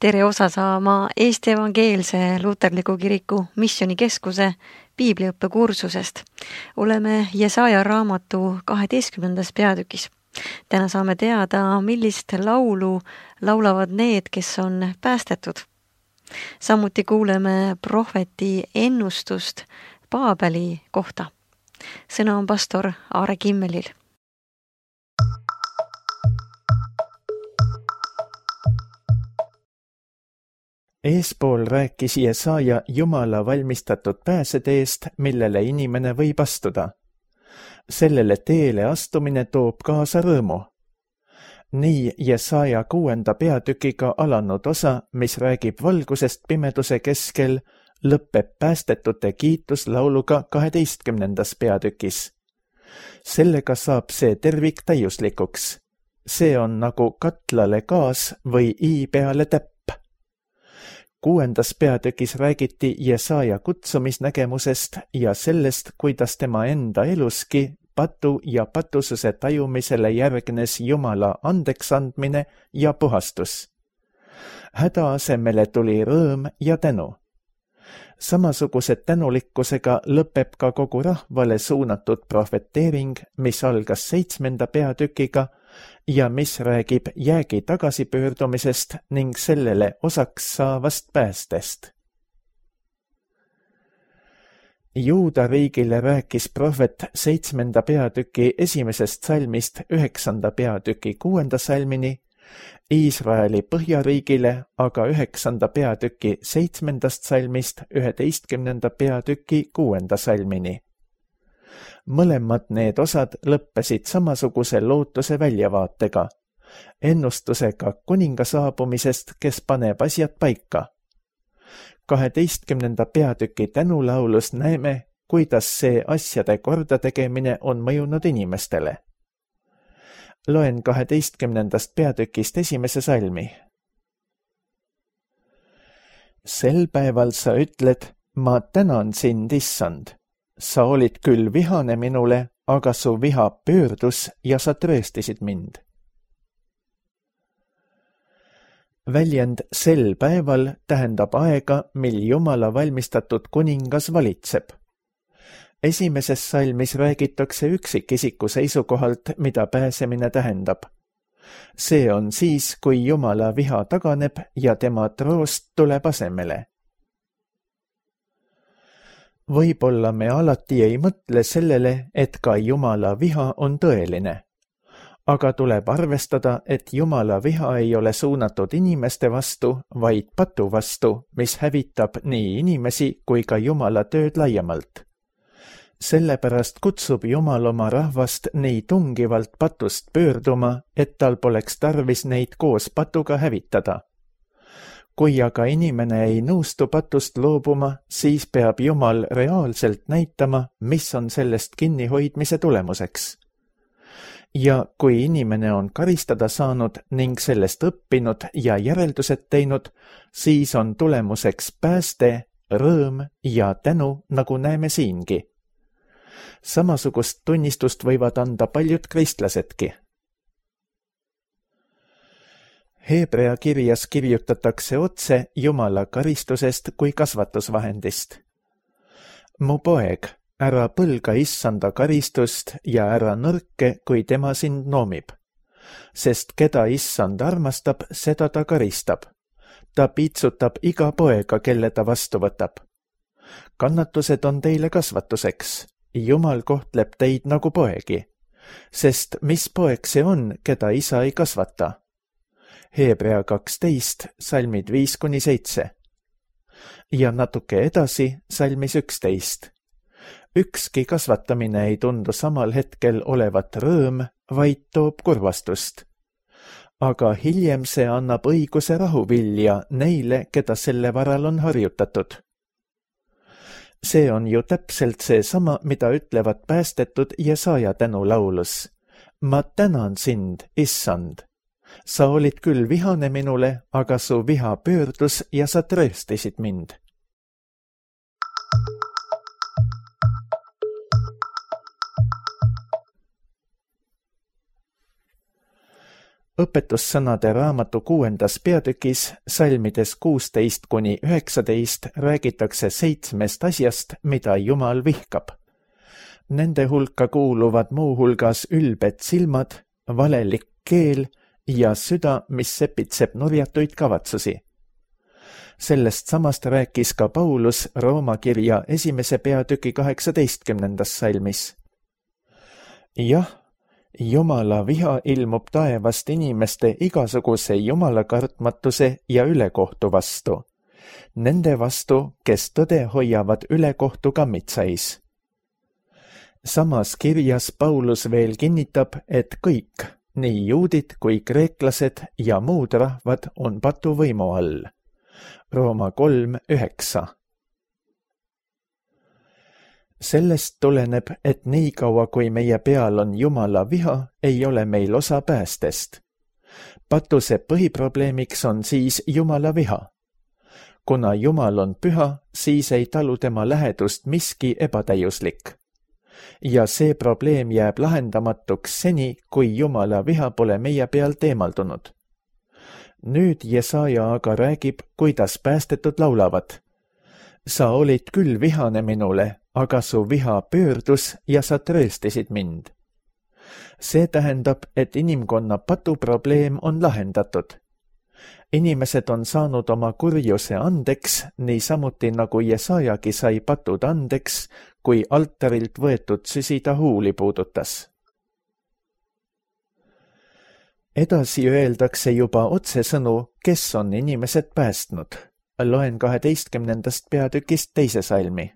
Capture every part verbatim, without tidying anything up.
tere osa saama Eesti Evangeelse Luterliku Kiriku Missioonikeskuse piibliõppekursusest. Oleme Jesaja raamatu kaheteistkümnendas peatükis. Täna saame teada, millist laulu laulavad need, kes on päästetud. Samuti kuuleme prohveti ennustust Paabeli kohta. Sõna on pastor Aare Kimmelil. Eespool rääkis Jesaja Jumala valmistatud pääseteest, millele inimene võib astuda. Sellele teele astumine toob kaasa rõõmu. Nii Jesaja kuuenda peatükiga alanud osa, mis räägib valgusest pimeduse keskel, lõpeb päästetute kiituslauluga kaheteistkümnendas peatükis. Sellega saab see tervik täiuslikuks. See on nagu katlale gaas või i peale täpp. Kuuendas peatükis räägiti Jesaja kutsumisnägemusest ja sellest, kuidas tema enda eluski patu ja patususe tajumisele järgnes Jumala andeksandmine ja puhastus. Häda asemele tuli rõõm ja tänu. Samasuguse tänulikkusega lõpeb ka kogu rahvale suunatud profeteering, mis algas seitsmenda peatükiga ja mis räägib jäägi tagasipöördumisest ning sellele osaks saavast päästest. Juuda riigile rääkis prohvet seitsmenda peatüki esimesest salmist üheksanda peatüki kuuenda salmini, Iisraeli põhjariigile aga üheksanda peatüki seitsmendast salmist üheteistkümnenda peatüki kuuenda salmini. Mõlemad need osad lõppesid samasuguse lootuse väljavaatega, ennustusega kuninga saabumisest, kes paneb asjad paika. kaheteistkümnenda peatüki tänulaulus näeme, kuidas see asjade kordategemine on mõjunud inimestele. Loen kaheteistkümnendast peatükist esimese salmi. Sel päeval sa ütled, ma tänan sind, issand. Sa olid küll vihane minule, aga su viha pöördus ja sa trööstisid mind. Väljend sel päeval tähendab aega, mil Jumala valmistatud kuningas valitseb. Esimeses salmis räägitakse üksikisiku seisukohalt, mida pääsemine tähendab. See on siis, kui Jumala viha taganeb ja tema troost tuleb asemele. Võib-olla me alati ei mõtle sellele, et ka Jumala viha on tõeline. Aga tuleb arvestada, et Jumala viha ei ole suunatud inimeste vastu, vaid patu vastu, mis hävitab nii inimesi kui ka Jumala tööd laiemalt. Sellepärast kutsub Jumal oma rahvast nii tungivalt patust pöörduma, et tal poleks tarvis neid koos patuga hävitada. Kui aga inimene ei nõustu patust loobuma, siis peab Jumal reaalselt näitama, mis on sellest kinnihoidmise tulemuseks. Ja kui inimene on karistada saanud ning sellest õppinud ja järeldused teinud, siis on tulemuseks pääste, rõõm ja tänu, nagu näeme siingi. Samasugust tunnistust võivad anda paljud kristlasedki. Hebrea kirjas kirjutatakse otse Jumala karistusest kui kasvatusvahendist. Mu poeg, ära põlga issanda karistust ja ära nõrke, kui tema sind noomib. Sest keda issand armastab, seda ta karistab. Ta piitsutab iga poega, kelle ta vastu võtab. Kannatused on teile kasvatuseks. Jumal kohtleb teid nagu poegi. Sest mis poeg see on, keda isa ei kasvata? Hebrea kaksteist, salmid viis kuni seitse. Ja natuke edasi salmis üksteist. Ükski kasvatamine ei tundu samal hetkel olevat rõõm, vaid toob kurvastust. Aga hiljem see annab õiguse rahuvilja neile, keda selle varal on harjutatud. See on ju täpselt see sama, mida ütlevad päästetud Jesaja tänulaulus. Ma tänan sind, issand. Sa olid küll vihane minule, aga su viha pöördus ja sa trööstisid mind. õpetussõnade raamatu kuuendas peatükis salmides kuusteist kuni üheksateist räägitakse seitsmest asjast, mida Jumal vihkab. Nende hulka kuuluvad muuhulgas ülbed silmad, valelik keel ja süda, mis sepitseb nurjatuid kavatsusi. Sellest samast rääkis ka Paulus Rooma kirja esimese peatüki kaheksateistkümnendas salmis. Jah, Jumala viha ilmub taevast inimeste igasuguse jumalakartmatuse ja ülekohtu vastu. Nende vastu, kes tõde hoiavad ülekohtu kammitsais. Samas kirjas Paulus veel kinnitab, et kõik, nii juudid kui kreeklased ja muud rahvad on patuvõimu all. Rooma kolm üheksa. Sellest tuleneb, et nii kaua kui meie peal on Jumala viha, ei ole meil osa päästest. Patuse põhiprobleemiks on siis Jumala viha. Kuna Jumal on püha, siis ei talu tema lähedust miski ebatäiuslik. Ja see probleem jääb lahendamatuks seni, kui Jumala viha pole meie pealt eemaldunud. Nüüd Jesaja aga räägib, kuidas päästetud laulavad. Sa olid küll vihane minule, aga su viha pöördus ja sa trööstisid mind. See tähendab, et inimkonna patuprobleem on lahendatud. Inimesed on saanud oma kurjuse andeks, nii samuti nagu Jesajagi sai patud andeks, kui altarilt võetud süsi ta huuli puudutas. Edasi öeldakse juba otsesõnu, kes on inimesed päästnud. Loen kaheteistkümnendast peatükist teise salmi.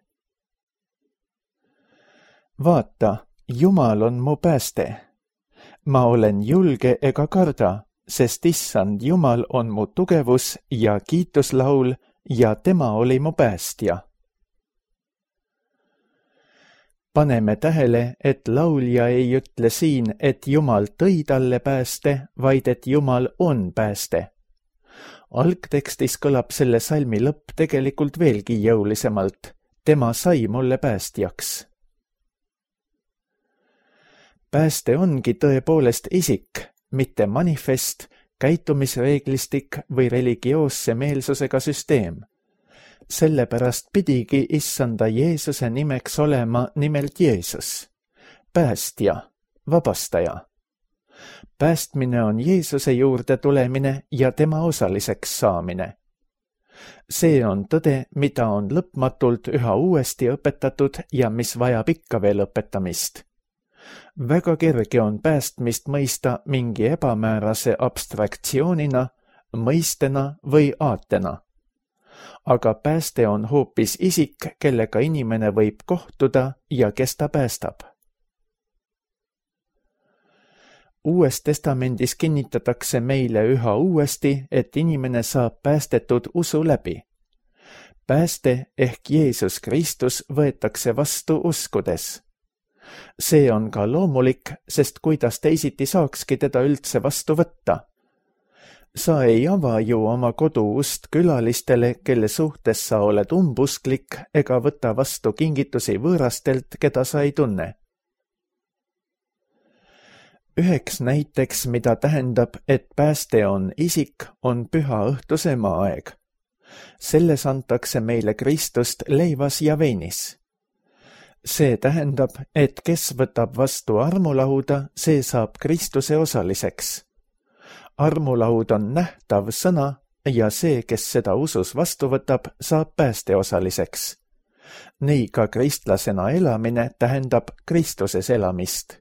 Vaata, Jumal on mu pääste. Ma olen julge ega karda, sest issand Jumal on mu tugevus ja kiituslaul ja tema oli mu päästja. Paneme tähele, et laulja ei ütle siin, et Jumal tõi talle pääste, vaid et Jumal on pääste. Algtekstis kõlab selle salmi lõpp tegelikult veelgi jõulisemalt. Tema sai mulle päästjaks. Pääste ongi tõepoolest isik, mitte manifest, käitumisreeglistik või religioosse meelsusega süsteem. Sellepärast pidigi issanda Jeesuse nimeks olema nimelt Jeesus, päästja, vabastaja. Päästmine on Jeesuse juurde tulemine ja tema osaliseks saamine. See on tõde, mida on lõpmatult üha uuesti õpetatud ja mis vajab ikka veel õpetamist. Väga kerge on päästmist mõista mingi ebamäärase abstraktsioonina, mõistena või aatena. Aga pääste on hoopis isik, kellega inimene võib kohtuda ja kes ta päästab. Uues testamendis kinnitatakse meile üha uuesti, et inimene saab päästetud usu läbi. Pääste ehk Jeesus Kristus võetakse vastu uskudes. See on ka loomulik, sest kuidas teisiti saakski teda üldse vastu võtta. Sa ei ava ju oma kodu ust külalistele, kelle suhtes sa oled umbusklik ega võta vastu kingitusi võõrastelt, keda sa ei tunne. Üheks näiteks, mida tähendab, et pääste on isik, on püha õhtuse maaeg. Selles antakse meile Kristust leivas ja veinis. See tähendab, et kes võtab vastu armulauda, see saab Kristuse osaliseks. Armulaud on nähtav sõna ja see, kes seda usus vastu võtab, saab pääste osaliseks. Nii ka kristlasena elamine tähendab Kristuses elamist.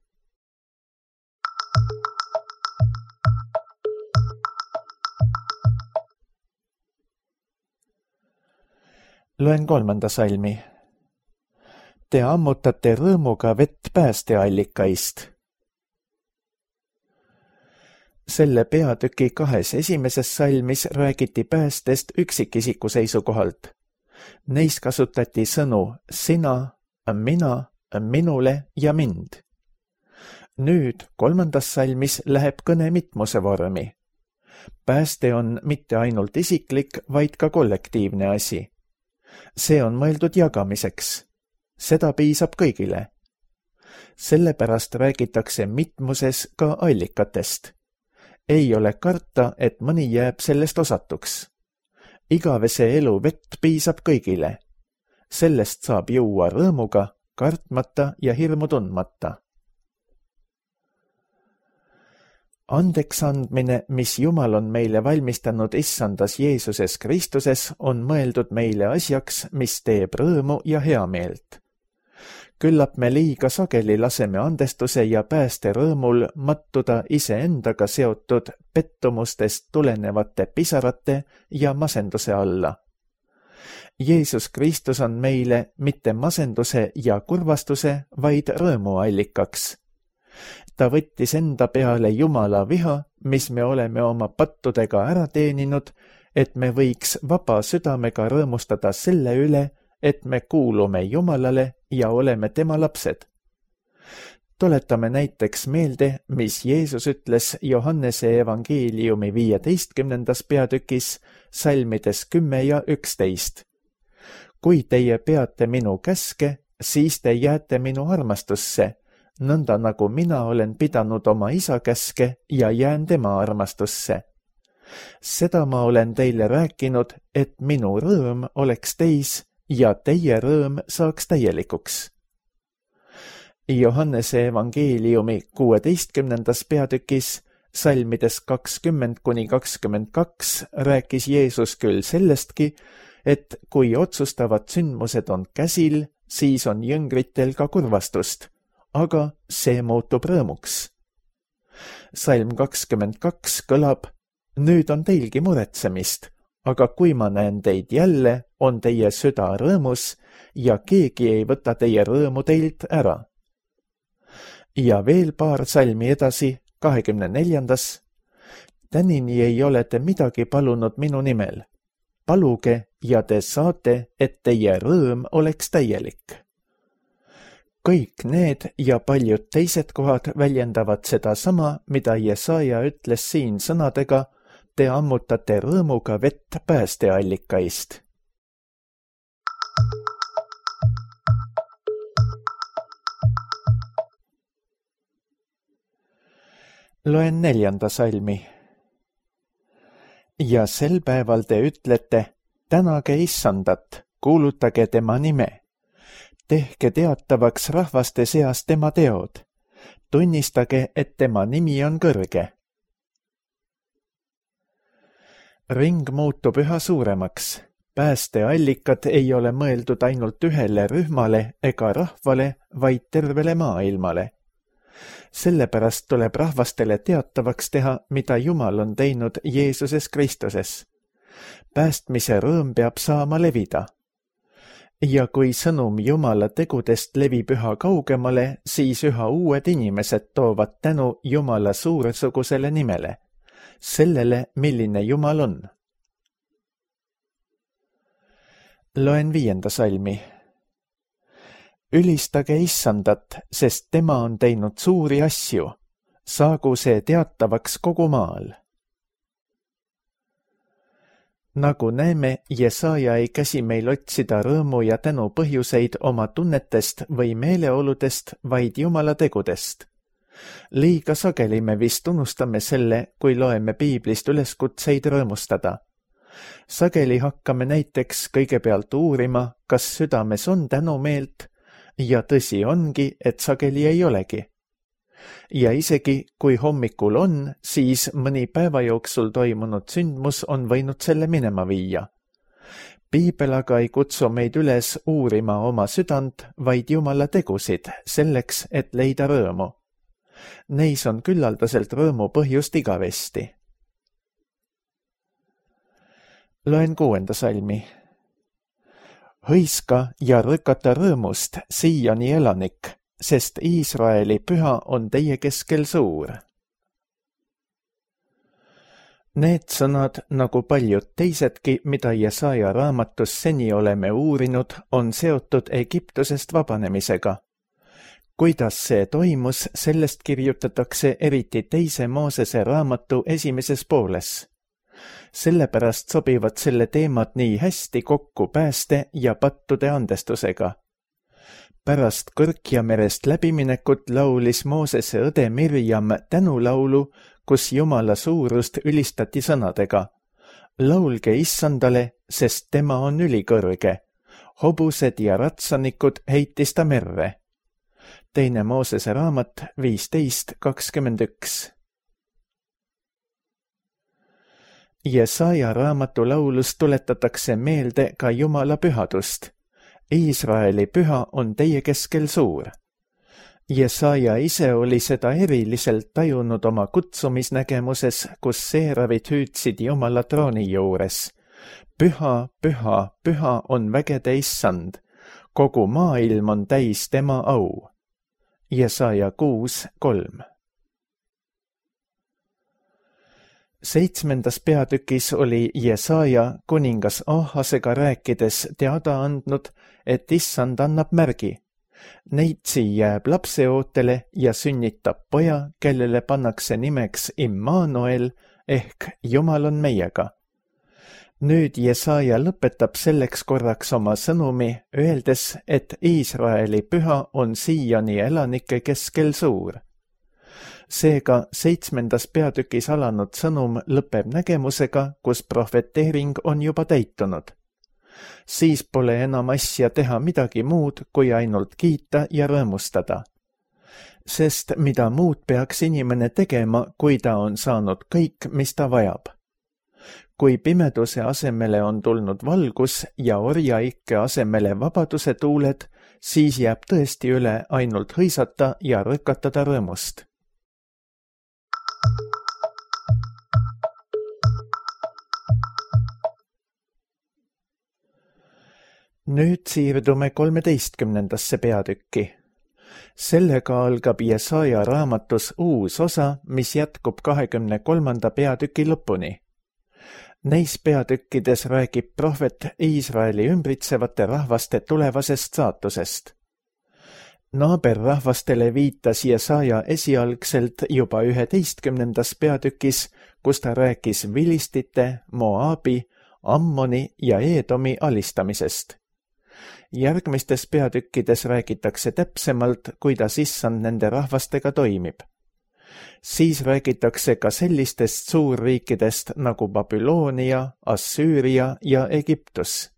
Loen kolmanda salmi. Te ammutate rõõmuga vett päästeallikaist. Selle peatüki kahes esimeses salmis räägiti päästest üksikisiku seisukohalt. Neis kasutati sõnu sina, mina, minule ja mind. Nüüd kolmandas salmis läheb kõne mitmuse vormi. Pääste on mitte ainult isiklik, vaid ka kollektiivne asi. See on mõeldud jagamiseks. Seda piisab kõigile. Sellepärast räägitakse mitmuses ka allikatest. ei ole karta, et mõni jääb sellest osatuks. Igavese elu vett piisab kõigile. Sellest saab juua rõõmuga, kartmata ja hirmu tundmata. Andeks andmine, mis Jumal on meile valmistanud issandas Jeesuses Kristuses, on mõeldud meile asjaks, mis teeb rõõmu ja heameelt. Küllap me liiga sageli laseme andestuse ja pääste rõõmul mattuda iseendaga seotud pettumustest tulenevate pisarate ja masenduse alla. Jeesus Kristus on meile mitte masenduse ja kurvastuse, vaid rõõmu allikaks. Ta võttis enda peale Jumala viha, mis me oleme oma pattudega ära teeninud, et me võiks vaba südamega rõõmustada selle üle, et me kuulume Jumalale ja oleme tema lapsed. Tuletame näiteks meelde, mis Jeesus ütles Johannese evangeeliumi viieteistkümnendas peatükis, salmides kümme ja üksteist. Kui teie peate minu käske, siis te jääte minu armastusse, nõnda nagu mina olen pidanud oma isa käske ja jään tema armastusse. Seda ma olen teile rääkinud, et minu rõõm oleks teis ja teie rõõm saaks täielikuks. Johannese evangeeliumi kuueteistkümnendas peatükis, salmides kakskümmend kuni kakskümmend kaks, rääkis Jeesus küll sellestki, et kui otsustavad sündmused on käsil, siis on jüngritel ka kurvastust, aga see muutub rõõmuks. Salm kakskümmend kaks kõlab, nüüd on teilgi muretsemist, aga kui ma näen teid jälle, on teie süda rõõmus ja keegi ei võta teie rõõmu teilt ära. Ja veel paar salmi edasi, kahekümne neljandas. Tänini ei ole te midagi palunud minu nimel. Paluge ja te saate, et teie rõõm oleks täielik. Kõik need ja paljud teised kohad väljendavad seda sama, mida Jesaja ütles siin sõnadega, te ammutate rõõmuga vett päästeallikaist. Loen neljanda salmi. Ja sel päeval te ütlete, tänage issandat, kuulutage tema nime. Tehke teatavaks rahvaste seas tema teod. Tunnistage, et tema nimi on kõrge. Ring muutub üha suuremaks. Päästeallikad ei ole mõeldud ainult ühele rühmale ega rahvale, vaid tervele maailmale. Sellepärast tuleb rahvastele teatavaks teha, mida Jumal on teinud Jeesuses Kristuses. Päästmise rõõm peab saama levida. Ja kui sõnum Jumala tegudest levib üha kaugemale, siis üha uued inimesed toovad tänu Jumala suuresugusele nimele, sellele, milline Jumal on. Loen viienda salmi. Ülistage issandat, sest tema on teinud suuri asju. Saagu see teatavaks kogu maal. Nagu näeme, Jesaja ei käsi meil otsida rõõmu ja tänu põhjuseid oma tunnetest või meeleoludest, vaid Jumala tegudest. Liiga sageli me vist unustame selle, kui loeme piiblist üleskutseid rõõmustada. Sageli hakkame näiteks kõigepealt uurima, kas südames on tänumeelt, ja tõsi ongi, et sageli ei olegi. Ja isegi, kui hommikul on, siis mõni päeva jooksul toimunud sündmus on võinud selle minema viia. Piibel aga ei kutsu meid üles uurima oma südant, vaid Jumala tegusid, selleks, et leida rõõmu. Neis on küllaldaselt rõõmu põhjust igavesti. Loen kuuenda salmi. Hõiska ja rõkata rõõmust, Siioni elanik, sest Iisraeli püha on teie keskel suur. Need sõnad, nagu paljud teisedki, mida Jesaja raamatus seni oleme uurinud, on seotud Egiptusest vabanemisega. Kuidas see toimus, sellest kirjutatakse eriti teise Moosese raamatu esimeses pooles. Sellepärast sobivad selle teemad nii hästi kokku pääste ja pattude andestusega. Pärast Kõrkja merest läbiminekut laulis Moosese õde Mirjam tänulaulu, kus Jumala suurust ülistati sõnadega: laulge issandale, sest tema on ülikõrge. Hobused ja ratsanikud heitis ta merre. Teine Moosese raamat viisteist kakskümmend üks. Jesaja raamatu laulus tuletatakse meelde ka Jumala pühadust. Iisraeli püha on teie keskel suur. Jesaja ise oli seda eriliselt tajunud oma kutsumisnägemuses, kus seeravid hüüdsid Jumala trooni juures. Püha, püha, püha on vägede issand. Kogu maailm on täis tema au. Jesaja kuus kolm. Seitsmendas peatükis oli Jesaja kuningas Ahasega rääkides teada andnud, et issand annab märgi. Neitsi jääb lapseootele ja sünnitab poja, kellele pannakse nimeks Immanuel ehk Jumal on meiega. Nüüd Jesaja lõpetab selleks korraks oma sõnumi, öeldes, et Iisraeli püha on siiani elanike keskel suur. Seega seitsmendas peatükis alanud sõnum lõpeb nägemusega, kus profeteering on juba täitunud. Siis pole enam asja teha midagi muud, kui ainult kiita ja rõõmustada. Sest mida muud peaks inimene tegema, kui ta on saanud kõik, mis ta vajab? Kui pimeduse asemele on tulnud valgus ja orjaikke asemele vabaduse tuuled, siis jääb tõesti üle ainult hõisata ja rõkatada rõõmust. Nüüd siirdume kolmeteistkümnendasse peatükki. Sellega algab Jesaja raamatus uus osa, mis jätkub kahekümne kolmanda peatüki lõpuni. Neis peatükkides räägib prohvet Iisraeli ümbritsevate rahvaste tulevasest saatusest. Naaberrahvastele viitas Jesaja esialgselt juba üheteistkümnendas peatükis, kus ta rääkis Vilistite, Moabi, Ammoni ja Eedomi alistamisest. Järgmistes peatükkides räägitakse täpsemalt, kuidas issand nende rahvastega toimib. Siis räägitakse ka sellistest suurriikidest nagu Babyloonia, Assüüria ja Egiptus.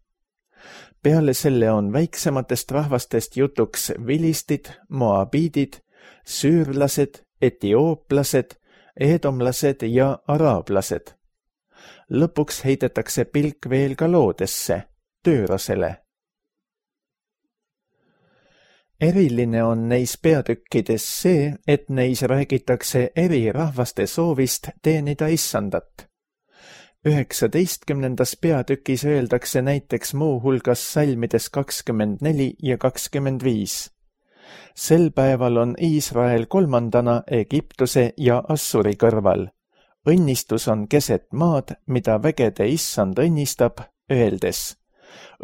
Peale selle on väiksematest rahvastest jutuks vilistid, moabiidid, süürlased, etiooplased, eedomlased ja araablased. Lõpuks heidetakse pilk veel ka loodesse, töörasele. Eriline on neis peatükkides see, et neis räägitakse eri rahvaste soovist teenida issandat. üheksateistkümnendas peatükis öeldakse näiteks muu hulgas salmides kakskümmend neli ja kakskümmend viis. Sel päeval on Iisrael kolmandana Egiptuse ja Assuri kõrval. Õnnistus on keset maad, mida vägede issand õnnistab, öeldes: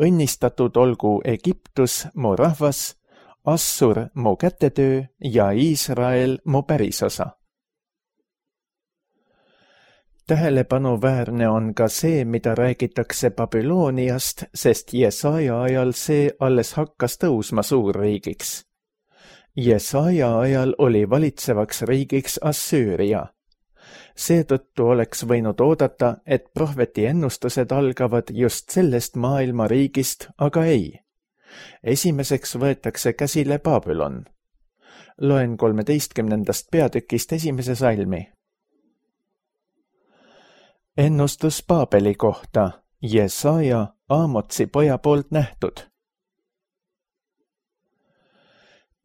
õnnistatud olgu Egiptus, mu rahvas, Assur mu kätetöö ja Iisrael mu pärisosa. Tähelepanuväärne on ka see, mida räägitakse Babyloniast, sest Jesaja ajal see alles hakkas tõusma suurriigiks. Jesaja ajal oli valitsevaks riigiks Assüüria. Seetõttu oleks võinud oodata, et prohveti ennustused algavad just sellest maailma riigist, aga ei. Esimeseks võetakse käsile Babylon. Loen kolmeteistkümnendast peatükist esimese salmi. Ennustus Paabeli kohta, Jesaja, Aamotsi poja poolt nähtud.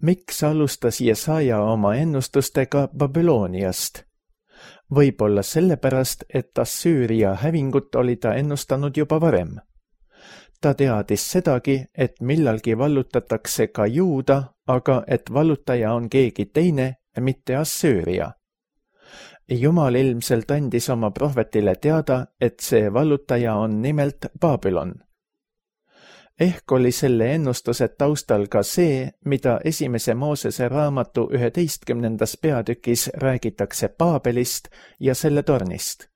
Miks alustas Jesaja oma ennustustega Babyloniast? Võib-olla sellepärast, et Assüüria hävingut oli ta ennustanud juba varem. Ta teadis sedagi, et millalgi vallutatakse ka Juuda, aga et vallutaja on keegi teine, mitte Assüüria. Jumal ilmselt andis oma prohvetile teada, et see vallutaja on nimelt Babylon. Ehk oli selle ennustuse taustal ka see, mida esimese Moosese raamatu üheteistkümnendas peatükis räägitakse Paabelist ja selle tornist.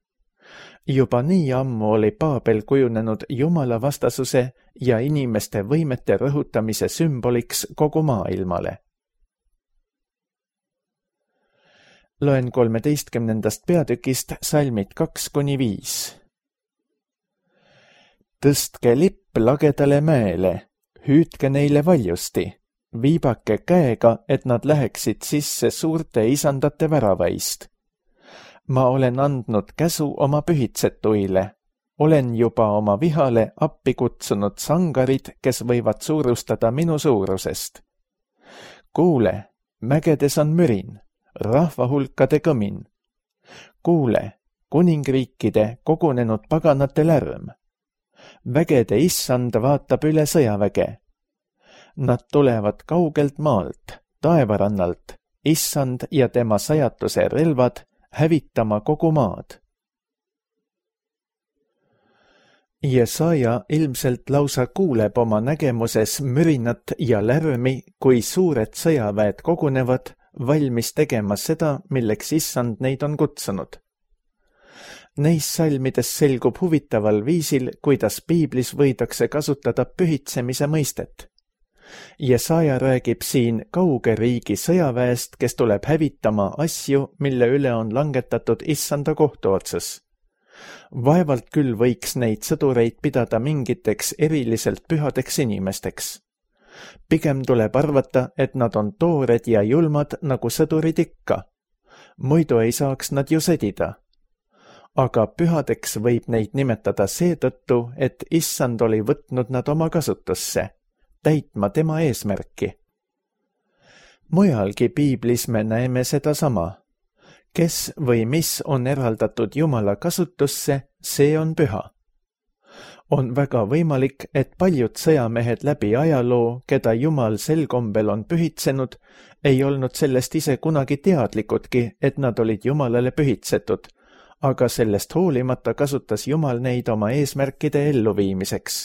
Juba nii ammu oli Paabel kujunenud Jumala vastasuse ja inimeste võimete rõhutamise sümboliks kogu maailmale. Loen kolmeteistkümnendast peatükist salmid kaks kuni viis. Tõstke lipp lagedale mäele, hüüdke neile valjusti, viibake käega, et nad läheksid sisse suurte isandate väravaist. Ma olen andnud käsu oma pühitsetuile, olen juba oma vihale appi kutsunud sangarid, kes võivad suurustada minu suurusest. Kuule, mägedes on mürin, rahvahulkade kõmin. Kuule, kuningriikide kogunenud paganate lärm. Vägede issand vaatab üle sõjaväge. Nad tulevad kaugelt maalt, taevarannalt, issand ja tema sajatuse relvad hävitama kogu maad. Jesaja ilmselt lausa kuuleb oma nägemuses mürinat ja lärmi, kui suured sõjaväed kogunevad, valmis tegema seda, milleks issand neid on kutsunud. Neis salmides selgub huvitaval viisil, kuidas piiblis võidakse kasutada pühitsemise mõistet. Jesaja räägib siin kauge riigi sõjaväest, kes tuleb hävitama asju, mille üle on langetatud issanda kohtuotsus. Vaevalt küll võiks neid sõdureid pidada mingiteks eriliselt pühadeks inimesteks. Pigem tuleb arvata, et nad on toored ja julmad nagu sõdurid ikka. Muidu ei saaks nad ju sõdida. Aga pühadeks võib neid nimetada seetõttu, et issand oli võtnud nad oma kasutusse, täitma tema eesmärki. Mujalgi piiblis me näeme seda sama. Kes või mis on eraldatud Jumala kasutusse, see on püha. On väga võimalik, et paljud sõjamehed läbi ajaloo, keda Jumal sel kombel on pühitsenud, ei olnud sellest ise kunagi teadlikudki, et nad olid Jumalale pühitsetud, aga sellest hoolimata kasutas Jumal neid oma eesmärkide elluviimiseks.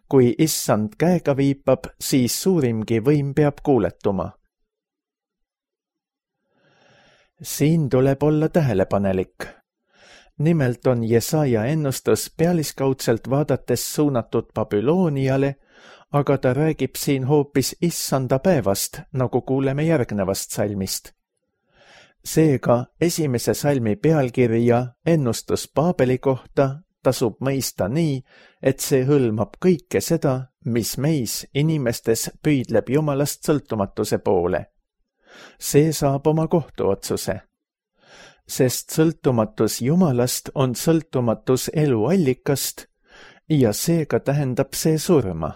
Kui issand käega viipab, siis suurimgi võim peab kuuletuma. Siin tuleb olla tähelepanelik. Nimelt on Jesaja ennustus pealiskaudselt vaadates suunatud Babyloniale, aga ta räägib siin hoopis issanda päevast, nagu kuuleme järgnevast salmist. Seega esimese salmi pealkirja ennustus Paabeli kohta tasub mõista nii, et see hõlmab kõike seda, mis meis inimestes püüdleb Jumalast sõltumatuse poole. See saab oma kohtuotsuse. Sest sõltumatus Jumalast on sõltumatus eluallikast ja seega tähendab see surma.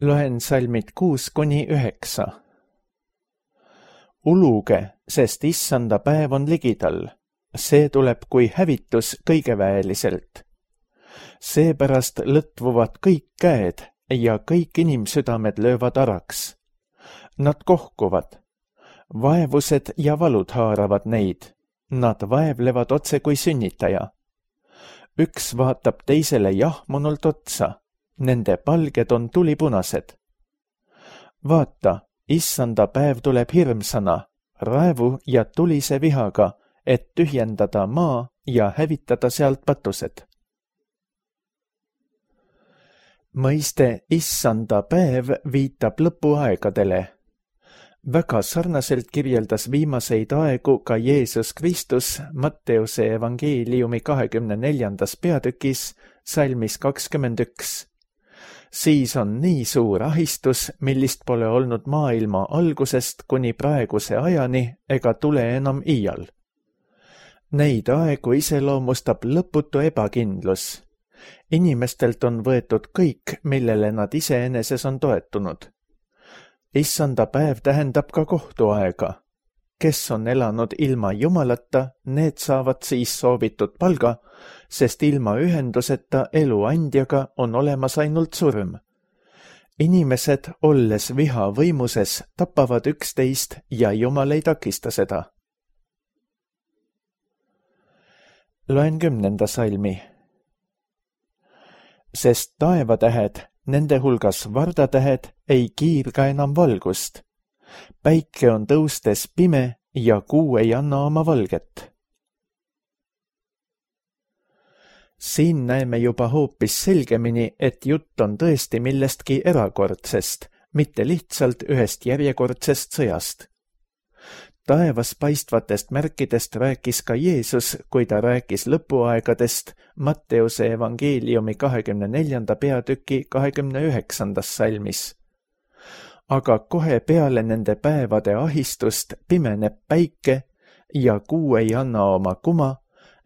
Loen salmid kuus kuni üheksa. Uluge, sest issanda päev on ligidal. See tuleb kui hävitus kõigeväeliselt. Seepärast lõtvuvad kõik käed ja kõik inimsüdamed löövad araks. Nad kohkuvad. Vaevused ja valud haaravad neid. Nad vaevlevad otse kui sünnitaja. Üks vaatab teisele jahmunult otsa. Nende palged on tulipunased. Vaata, issanda päev tuleb hirmsana, raevu ja tulise vihaga, et tühjendada maa ja hävitada sealt patused. Mõiste issanda päev viitab lõpuaegadele. Väga sarnaselt kirjeldas viimaseid aegu ka Jeesus Kristus Matteuse evangeeliumi kahekümne neljandas peatükis salmis kakskümmend üks. Siis on nii suur ahistus, millist pole olnud maailma algusest kuni praeguse ajani ega tule enam iial. Neid aegu iseloomustab lõputu ebakindlus. Inimestelt on võetud kõik, millele nad iseeneses on toetunud. Issanda päev tähendab ka kohtuaega. Kes on elanud ilma Jumalata, need saavad siis soovitud palga, sest ilma ühenduseta elu andjaga on olemas ainult surm. Inimesed, olles viha võimuses, tapavad üksteist ja Jumal ei takista seda. Loen kümnenda salmi. Sest taevatähed, nende hulgas vardatähed, ei kiirga enam valgust. Päike on tõustes pime ja kuu ei anna oma valget. Siin näeme juba hoopis selgemini, et jutt on tõesti millestki erakordsest, mitte lihtsalt ühest järjekordsest sõjast. Taevas paistvatest märkidest rääkis ka Jeesus, kui ta rääkis lõpuaegadest Matteuse evangeeliumi kahekümne neljanda peatüki kahekümne üheksandas salmis. Aga kohe peale nende päevade ahistust pimeneb päike ja kuu ei anna oma kuma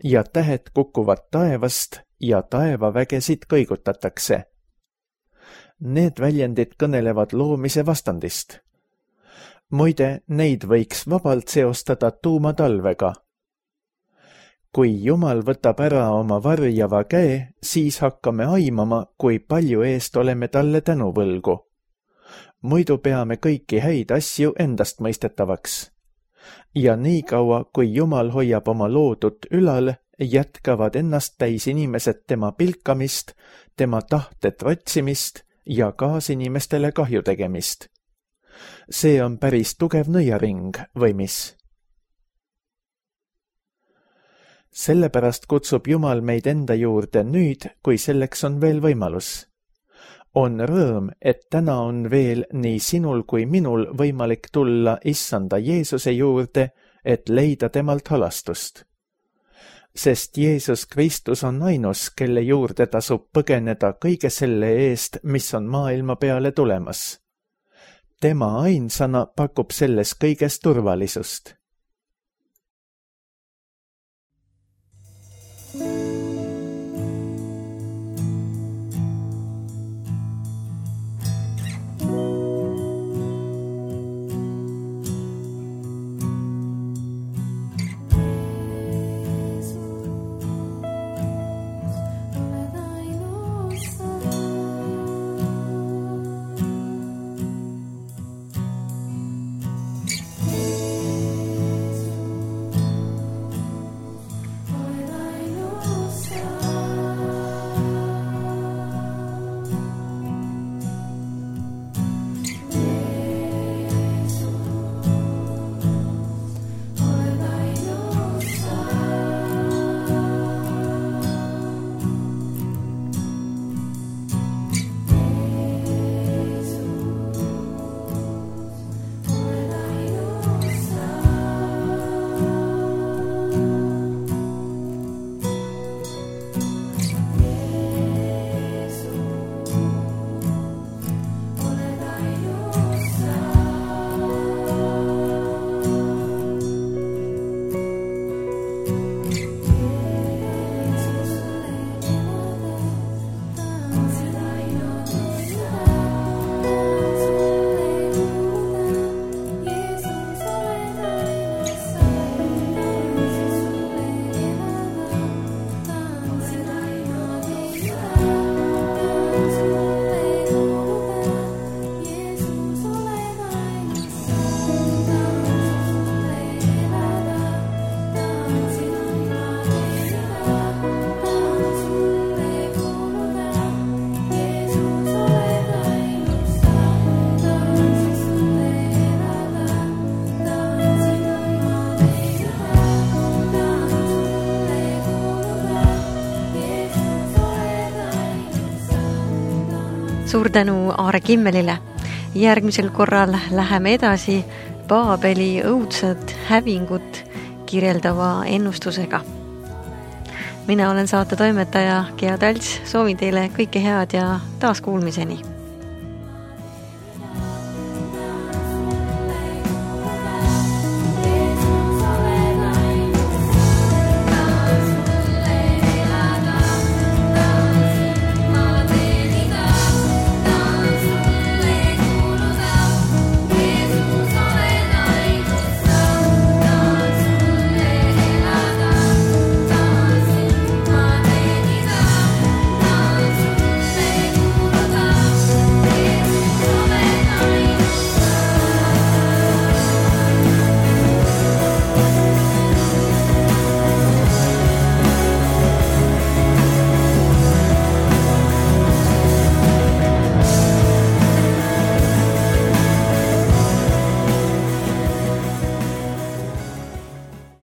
ja tähed kukuvad taevast ja taevavägesid kõigutatakse. Need väljendid kõnelevad loomise vastandist. Muide, neid võiks vabalt seostada tuumatalvega. Kui Jumal võtab ära oma varjava käe, siis hakkame aimama, kui palju eest oleme talle tänuvõlgu. Muidu peame kõiki häid asju endast mõistetavaks. Ja nii kaua, kui Jumal hoiab oma loodut ülal, jätkavad ennast täis inimesed tema pilkamist, tema tahte trotsimist ja kaasinimestele kahju tegemist. See on päris tugev nõiaring, või mis? Sellepärast kutsub Jumal meid enda juurde nüüd, kui selleks on veel võimalus. On rõõm, et täna on veel nii sinul kui minul võimalik tulla issanda Jeesuse juurde, et leida temalt halastust. Sest Jeesus Kristus on ainus, kelle juurde tasub põgeneda kõige selle eest, mis on maailma peale tulemas. Tema ainsana pakub selles kõiges turvalisust. Suur tänu Aare Kimmelile. Järgmisel korral läheme edasi Paabeli õudset hävingut kirjeldava ennustusega. Mina olen saate toimetaja Gea Talts, soovin teile kõike head ja taas kuulmiseni.